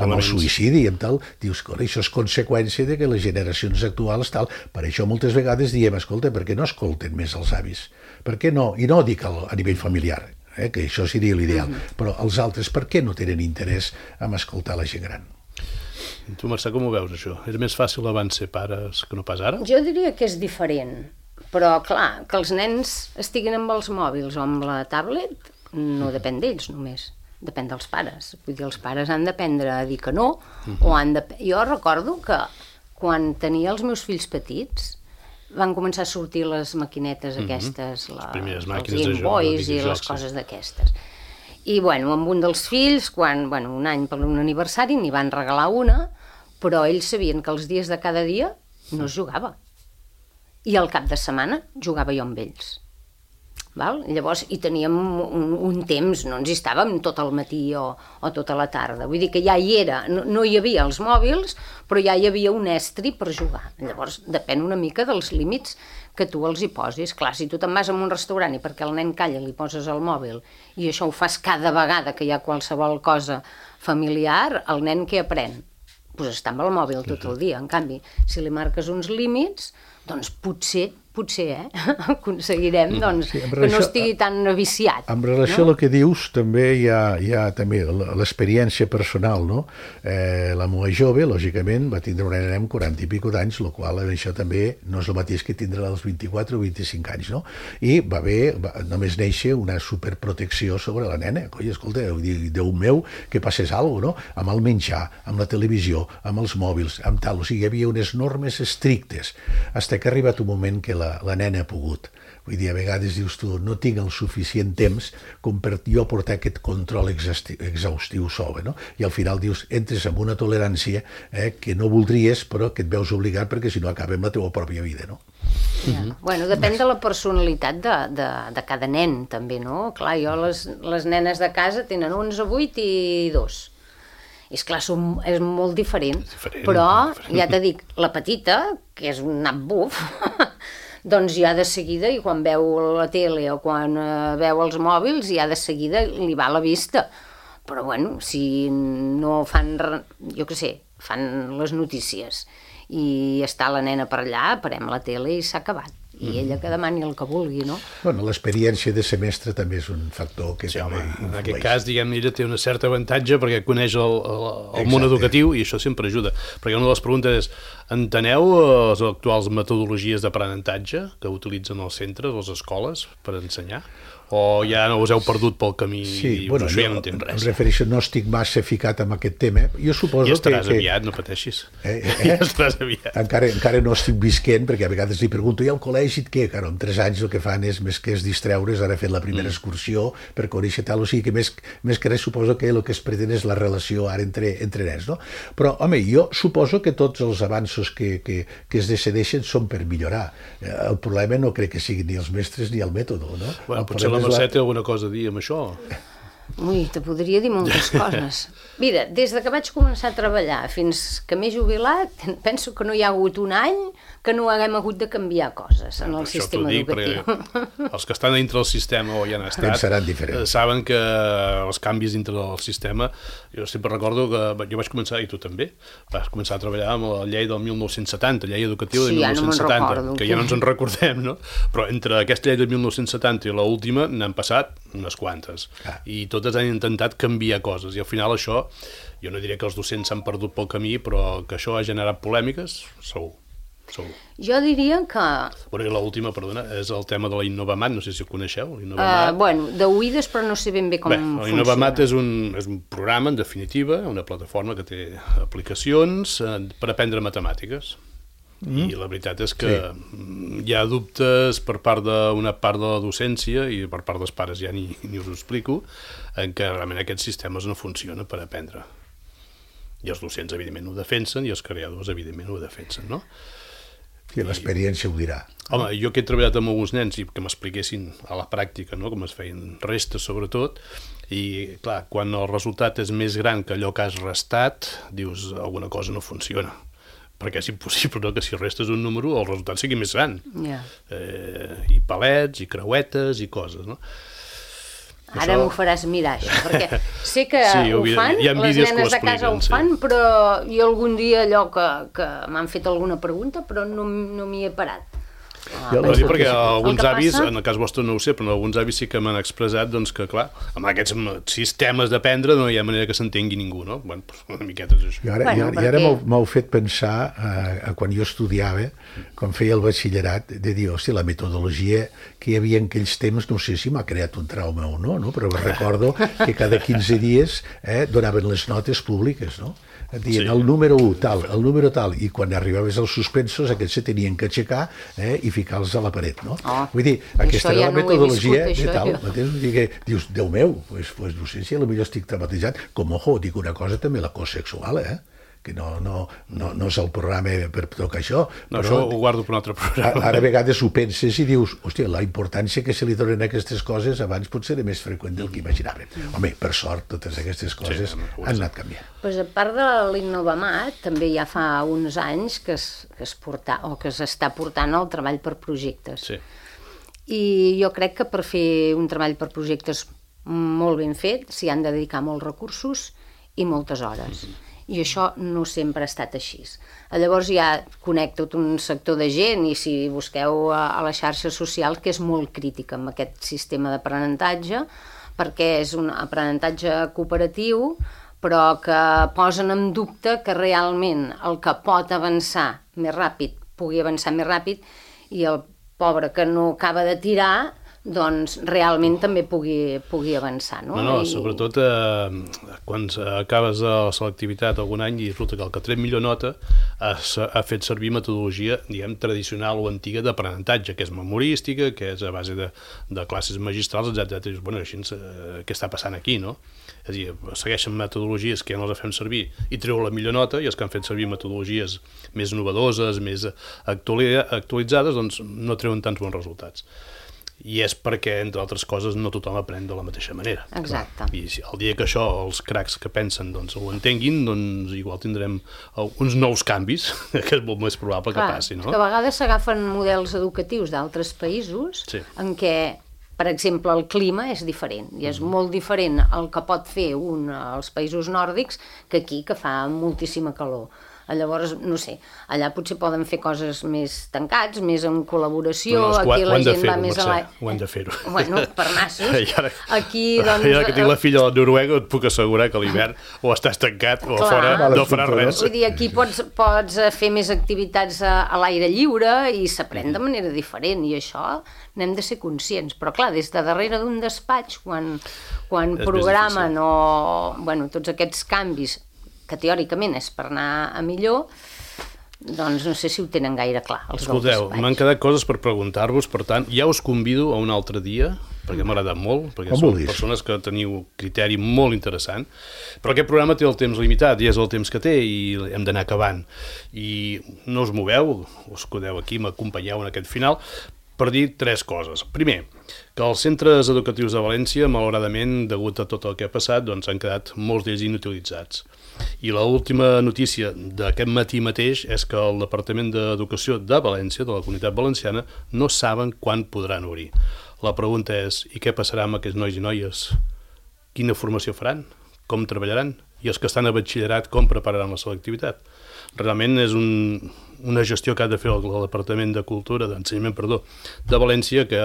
amb el suïcidi i amb tal. Dius, això és conseqüència de que les generacions actuals tal. Per això moltes vegades diem, escolta, per què no escolten més els avis? Per què no? I no dic a nivell familiar, que això seria l'ideal, però els altres per què no tenen interès en escoltar la gent gran? Tu, Mercè, com ho veus, això? Era més fàcil abans ser pares que no pas ara? Jo diria que és diferent, però, clar, que els nens estiguin amb els mòbils o amb la tablet no depèn d'ells només, depèn dels pares. Vull dir, els pares han d'aprendre a dir que no, o han de... Jo recordo que quan tenia els meus fills petits van començar a sortir les maquinetes aquestes, els Game Boys i les coses d'aquestes. I, bueno, amb un dels fills, un any per un aniversari, n'hi van regalar una, però ells sabien que els dies de cada dia no es jugava. i al cap de setmana jugava jo amb ells. Val? Llavors hi teníem un temps, no ens hi estàvem tot el matí o tota la tarda, vull dir que ja hi era, no hi havia els mòbils, però ja hi havia un estri per jugar. Llavors depèn una mica dels límits que tu els hi posis. Clar, si tu te'n vas a un restaurant i perquè el nen calla li poses el mòbil i això ho fas cada vegada que hi ha qualsevol cosa familiar, el nen què aprèn? Pues està amb el mòbil tot el dia. En canvi, si li marques uns límits, doncs potser aconseguirem que no estigui tan viciat. En relació a el que dius, també hi ha també l'experiència personal, no? La meva jove, lògicament, va tindre una nena amb 40 i pico d'anys, el qual això també no és el mateix que tindrà als 24 o 25 anys, no? I va només néixer una superprotecció sobre la nena. Coi, escolta, Déu meu, que passés alguna cosa, no? Amb el menjar, amb la televisió, amb els mòbils, amb tal. O sigui, hi havia unes normes estrictes, fins que ha arribat un moment que la nena ha pogut. Vull dir, a vegades dius tu, no tinc el suficient temps com per jo portar aquest control exhaustiu sobre, no? I al final dius, entres amb una tolerància que no voldries, però que et veus obligat perquè si no acaba amb la teva pròpia vida, no? Bueno, depèn de la personalitat de cada nen, també, no? Clar, jo les nenes de casa tenen 11, 8 i 2. I esclar, és molt diferent, però ja t'he dit, la petita, que és un nap buf, doncs ja de seguida, i quan veu la tele o quan veu els mòbils, ja de seguida li va a la vista. Però bueno, si no fan, jo què sé, fan les notícies i està la nena per allà, parem la tele i s'ha acabat. I ella que demani el que vulgui, no? Bueno, l'experiència de semestre també és un factor que també influeix. En aquest cas, diguem, ella té una certa avantatge perquè coneix el món educatiu i això sempre ajuda. Perquè una de les preguntes és, enteneu les actuals metodologies d'aprenentatge que utilitzen els centres, les escoles, per ensenyar? O ja no us heu perdut pel camí i bueno, això ja no entenc res? Em refereixo, no estic massa ficat en aquest tema. Jo suposo ja estaràs aviat, no pateixis. Ja estaràs aviat. Encara no estic visquent, perquè a vegades li pregunto, i al col·legi què? Claro, en 3 anys el que fan és, més que és distreure's, ara he fet la primera excursió per conèixer tal, o sigui que més que res suposo que el que es pretén és la relació ara entre nens, no? Però, home, jo suposo que tots els avanços que es decideixen són per millorar. El problema no crec que siguin ni els mestres ni el mètode, no? Bueno, potser la Mercè té alguna cosa a dir amb això. Ui, te podria dir moltes coses. Mira, des que vaig començar a treballar fins que m'he jubilat, penso que no hi ha hagut un any que no haguem hagut de canviar coses en el sistema educatiu. Els que estan dintre del sistema o hi han estat saben que els canvis dintre del sistema, jo sempre recordo que jo vaig començar, i tu també, vas començar a treballar amb la llei del 1970, llei educativa de 1970, que ja no ens en recordem, no? Però entre aquesta llei de 1970 i l'última n'han passat unes quantes, i totes han intentat canviar coses, i al final això, jo no diré que els docents s'han perdut pel camí, però que això ha generat polèmiques, segur. Jo diria que... Bueno, i l'última, perdona, és el tema de la Innovamat, no sé si ho coneixeu. Bueno, d'oïdes, però no sé ben bé com funciona. L'Innovamat és un programa, en definitiva, una plataforma que té aplicacions per aprendre matemàtiques. I la veritat és que hi ha dubtes per part d'una part de la docència i per part dels pares, ja ni us ho explico, en què realment aquests sistemes no funcionen per aprendre. I els docents, evidentment, ho defensen, i els creadors, evidentment, ho defensen, no? Sí, l'experiència ho dirà. Home, jo que he treballat amb alguns nens i que m'expliquessin a la pràctica, no?, com es feien restes, sobretot, i, clar, quan el resultat és més gran que allò que has restat, dius, alguna cosa no funciona. Perquè és impossible, no?, que si restes un número el resultat sigui més gran. I palets, i creuetes, i coses, no? Ara m'ho faràs mirar, això, perquè sé que ho fan, les nenes de casa ho fan, però jo algun dia allò que m'han fet alguna pregunta, però no m'hi he parat. Perquè alguns avis, en el cas vostre no ho sé, però alguns avis sí que m'han expressat que, clar, amb aquests sistemes d'aprendre no hi ha manera que s'entengui ningú, no? Bueno, una miqueta és això. I ara m'heu fet pensar, quan jo estudiava, quan feia el batxillerat, de dir, hòstia, la metodologia que hi havia en aquells temps, no sé si m'ha creat un trauma o no, però recordo que cada 15 dies donaven les notes públiques, no? Dient el número 1 tal, el número tal, i quan arribaves als suspensos aquests se tenien que aixecar i ficar-los a la paret, no? Vull dir, aquesta era la metodologia de tal, dius, Déu meu, doncs no sé si potser estic traumatitzat, com, ojo, dic una cosa també, l'acost sexual, que no és el programa per tocar això. No, això ho guardo per un altre programa. Ara a vegades ho penses i dius, hòstia, la importància que se li donen a aquestes coses abans potser era més freqüent del que imaginàvem. Home, per sort, totes aquestes coses han anat canviant. Pues a part de l'Innovamat, també ja fa uns anys que s'està portant el treball per projectes. Sí. I jo crec que per fer un treball per projectes molt ben fet s'hi han de dedicar molts recursos i moltes hores. I això no sempre ha estat així. Llavors ja conec tot un sector de gent, i si busqueu a les xarxes socials, que és molt crítica amb aquest sistema d'aprenentatge, perquè és un aprenentatge cooperatiu, però que posen en dubte que realment el que pot avançar més ràpid pugui avançar més ràpid, i el pobre que no acaba de tirar, doncs realment també pugui avançar. No, sobretot quan acabes la selectivitat algun any i resulta que el que tret millor nota ha fet servir metodologia, diguem, tradicional o antiga d'aprenentatge, que és memorística, que és a base de classes magistrals, etc. I bueno, així, què està passant aquí, no? És a dir, segueixen metodologies que ja no les fem servir i treu la millor nota, i els que han fet servir metodologies més novedoses, més actualitzades, doncs no treuen tants bons resultats. I és perquè, entre altres coses, no tothom aprèn de la mateixa manera. Exacte. I el dia que això, els cracs que pensen, doncs, ho entenguin, doncs igual tindrem uns nous canvis, que és molt més probable que passi, no? Que a vegades s'agafen models educatius d'altres països en què, per exemple, el clima és diferent, i és molt diferent el que pot fer als països nòrdics que aquí, que fa moltíssima calor. Llavors, no sé, allà potser poden fer coses més tancats, més en col·laboració, aquí la gent va més a la... Ho hem de fer-ho. Bueno, per nassos. Aquí, doncs... I ara que tinc la filla a Noruega, et puc assegurar que a l'hivern o estàs tancat o a fora no faràs res. Vull dir, aquí pots fer més activitats a l'aire lliure i s'aprèn de manera diferent, i això n'hem de ser conscients. Però clar, des de darrere d'un despatx, quan programen tots aquests canvis, que teòricament és per anar a millor, doncs no sé si ho tenen gaire clar. Escolteu, m'han quedat coses per preguntar-vos, per tant, ja us convido a un altre dia, perquè m'ha agradat molt, perquè són persones que teniu criteri molt interessant, però aquest programa té el temps limitat, i és el temps que té, i hem d'anar acabant. I no us moveu, us quedeu aquí, m'acompanyeu en aquest final, per dir tres coses. Primer, que els centres educatius de València, malauradament, degut a tot el que ha passat, doncs han quedat molts d'ells inutilitzats. I l'última notícia d'aquest matí mateix és que el Departament d'Educació de València, de la Comunitat Valenciana, no saben quan podran obrir. La pregunta és, i què passarà amb aquests nois i noies? Quina formació faran? Com treballaran? I els que estan a batxillerat, com prepararan la selectivitat? Realment és una gestió que ha de fer el Departament de Cultura, d'Ensenyament, de València, que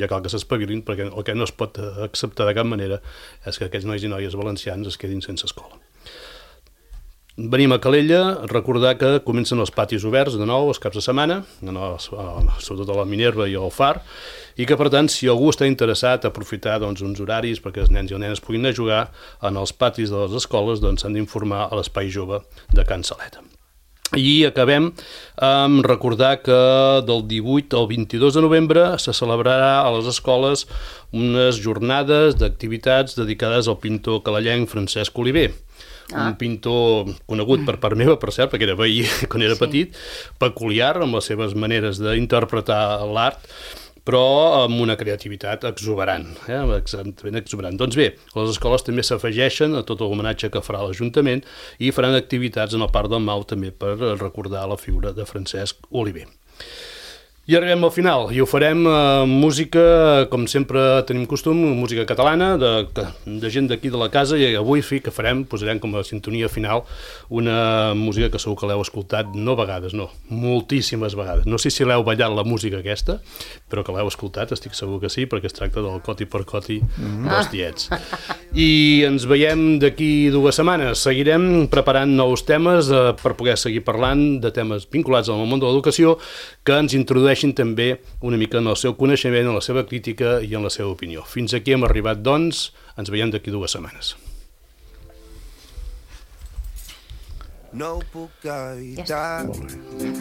ja cal que s'espavilin, perquè el que no es pot acceptar de cap manera és que aquests nois i noies valencians es quedin sense escola. Venim a Calella, recordar que comencen els patis oberts de nou els caps de setmana, sobretot a la Minerva i al Far, i que, per tant, si algú està interessat a aprofitar uns horaris perquè els nens i les nenes puguin anar a jugar en els patis de les escoles, doncs s'han d'informar a l'Espai Jove de Can Saleta. I acabem amb recordar que del 18 al 22 de novembre se celebrarà a les escoles unes jornades d'activitats dedicades al pintor calellenc Francesc Oliver. Un pintor conegut per part meva, per cert, perquè era veí quan era petit, peculiar amb les seves maneres d'interpretar l'art, però amb una creativitat exuberant, exactament exuberant. Doncs bé, les escoles també s'afegeixen a tot l'homenatge que farà l'Ajuntament i faran activitats en el Parc del Mau també per recordar la figura de Francesc Oliver. I arribem al final, i ho farem música, com sempre tenim costum, música catalana, de gent d'aquí de la casa, i avui sí que posarem com a sintonia final una música que segur que l'heu escoltat, no vegades, no, moltíssimes vegades. No sé si l'heu ballat la música aquesta, però que l'heu escoltat, estic segur que sí, perquè es tracta del Coti per Coti dels Tiets. I ens veiem d'aquí 2 setmanes. Seguirem preparant nous temes per poder seguir parlant de temes vinculats al món de l'educació que ens introdueixen també una mica en el seu coneixement, en la seva crítica i en la seva opinió. Fins aquí hem arribat, doncs, ens veiem d'aquí 2 setmanes. No ho puc evitar,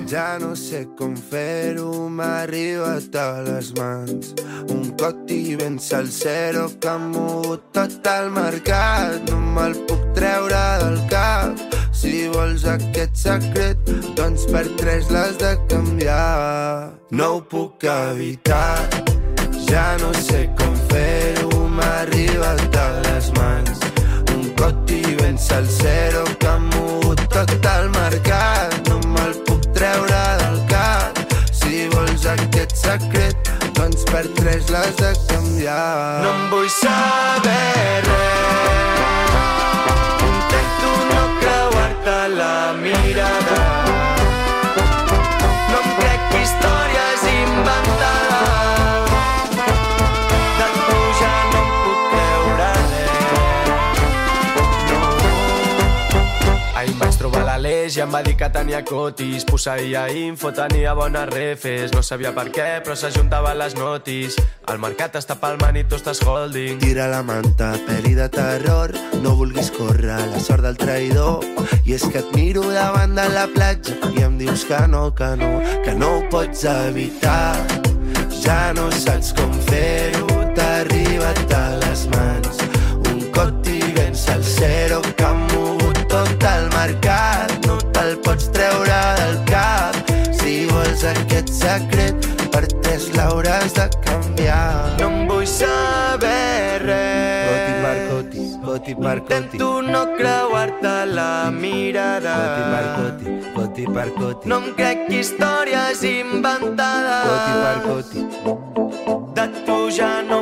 ja no sé com fer-ho, m'ha arribat a les mans. Un Coti ben salsero que ha mogut tot el mercat, no me'l puc treure del cap. Si vols aquest secret, doncs per 3 l'has de canviar. No ho puc evitar, ja no sé com fer-ho, m'ha arribat a les mans. Un coti ben salsero que ha mogut tot el mercat. No me'l puc treure del cap. Si vols aquest secret, doncs per 3 l'has de canviar. No em vull saber res, intento no creuar-te la mirada. No em crec històries inventades, de tu ja no em puc creure res. Ahir em vaig trobar l'Aleix i em va dir que tenia cotis, posseïa info, tenia bones refes, no sabia per què però s'ajuntava les notis. El mercat està palmant i tu estàs holding. Tira la manta, pel·li de terror, no vulguis córrer la sort del traïdor. I és que et miro davant de la platja i em dius que no ho pots evitar. Ja no saps com fer-ho, t'ha arribat a les mans. Un coti ben salsero que ha mogut tot el mercat. No te'l pots treure del cap. Si vols aquest secret, per 3 l'hauràs de canviar. No em vull saber res, coti per coti, coti per coti. Intento no creuar-te la mirada. Coti per coti, coti per coti. No em crec històries inventades. Coti per coti. De tu ja no